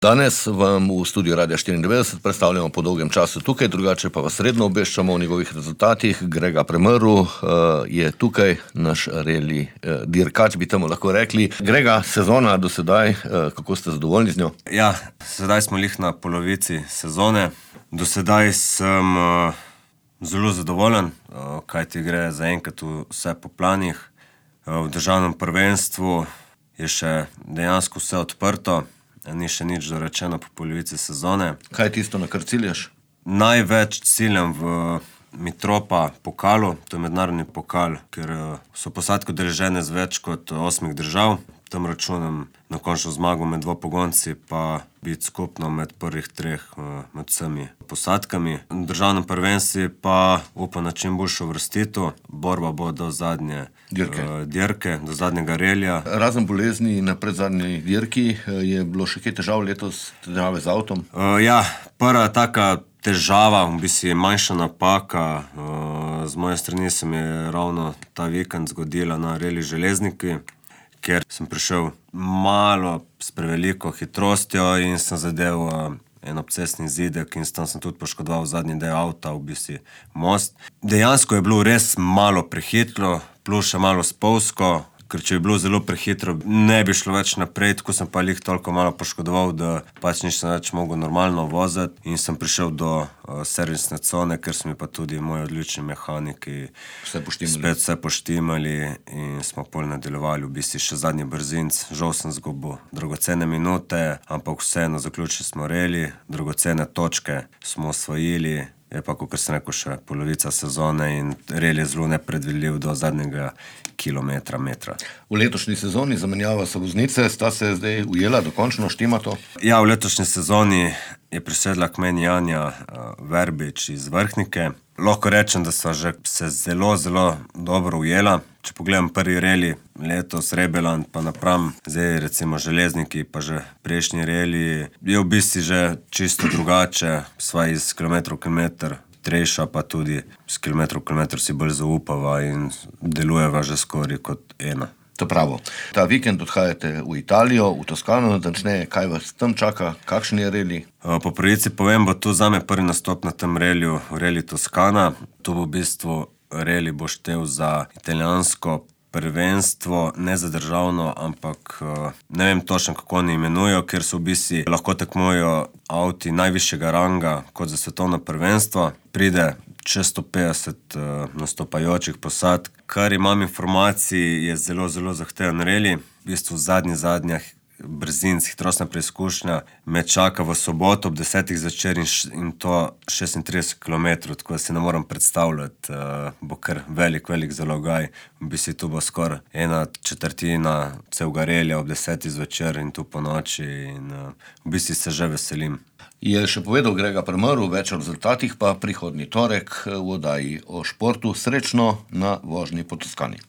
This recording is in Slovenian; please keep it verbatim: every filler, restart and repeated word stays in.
Danes vam v studiu Radia štiriindevetdeset predstavljamo po dolgem času tukaj, drugače pa vas redno obveščamo o njegovih rezultatih. Grega Premrl uh, je tukaj, naš reli uh, dirkač, bi temu lahko rekli. Grega, sezona do sedaj, uh, kako ste zadovoljni z njo? Ja, sedaj smo lih na polovici sezone. Do sedaj sem uh, zelo zadovoljen, uh, kaj ti gre zaenkrat vse po planih. Uh, v državnem prvenstvu je še dejansko vse odprto. Ni še nič dorečeno po polovici sezone. Kaj je tisto, na kar ciljaš? Največ ciljam v Mitropa pokalu, to je mednarodni pokal, ker so posadke udeležene z več kot osmih držav. Tam računam na končno zmago med dvopogonci, pa biti skupno med prvih treh med vsemi posadkami. V državnem prvenstvu pa upam na čim boljšo vrstitev. Borba bo do zadnje dirke, uh, dirke do zadnjega relija. Razen bolezni na predzadnji dirki, je bilo še kaj težav letos, težave z avtom? Uh, ja, prva taka težava, v bistvu manjša napaka, uh, z moje strani se mi je ravno ta vikend zgodila na reli Železniki, ker sem prišel malo s preveliko hitrostjo in sem zadev uh, en obcestni zidek in tam sem tudi poškodoval zadnji del avta, v bistvu most. Dejansko je bilo res malo prehitro, plus še malo spolzko, ker če je bilo zelo prehitro, ne bi šlo več naprej, tako sem pa lih toliko malo poškodoval, da pač nisem več mogel normalno voziti in sem prišel do uh, servisne cone, ker so mi pa tudi moji odlični mehaniki Vse poštimali. spet vse poštimali in smo pol nadaljevali, v bistvu še zadnji brzinc. Žal sem zgubil dragocene minute, ampak vseeno zaključili smo reli, dragocene točke smo osvojili. Je pa, kot sem rekel, še polovica sezone in rel je zelo nepredvidljiv do zadnjega kilometra, metra. V letošnji sezoni zamenjava se voznice, sta se zdaj ujela, dokončno štima to? Ja, v letošnji sezoni je prisedla k meni Janja uh, Verbič iz Vrhnike. Lahko rečem, da sva že se zelo, zelo dobro ujela. Če pogledam prvi reli, letos Rebeland pa napram, zdaj recimo Železniki, pa že prejšnji reli, je v bistvu že čisto drugače, sva iz kilometrov kilometr trejša, pa tudi z kilometrov kilometr si bolj zaupava in delujeva že skoraj kot ena. To pravo. Ta vikend odhajate v Italijo, v Toskano, natančneje, kaj vas tam čaka, kakšen je reli? Po pravici povem, bo tu zame prvi nastop na tem reliju, reli Toskana. Tu bo v bistvu reli bo štel za italijansko prvenstvo, ne za državno, ampak ne vem točno, kako oni imenujo, ker so v bistvu lahko tekmujejo avti najvišjega ranga kot za svetovno prvenstvo. Pride čez sto petdeset uh, nastopajočih posadk. Kar imam informacij, je zelo, zelo zahteven reli. V bistvu zadnji zadnjih brzinc, hitrostna preizkušnja me čaka v soboto ob desetih zvečer in, in to šestintrideset kilometrov, tako da si ne moram predstavljati, uh, bo kar velik, velik zalogaj. V bistvu tu bo skoraj ena četrtina celega relija ob desetih zvečer in tu po noči in uh, v bistvu se že veselim. Je še povedal Grega Premrl, več o rezultatih pa prihodnji torek v oddaji o športu. Srečno na vožnji po Toskani.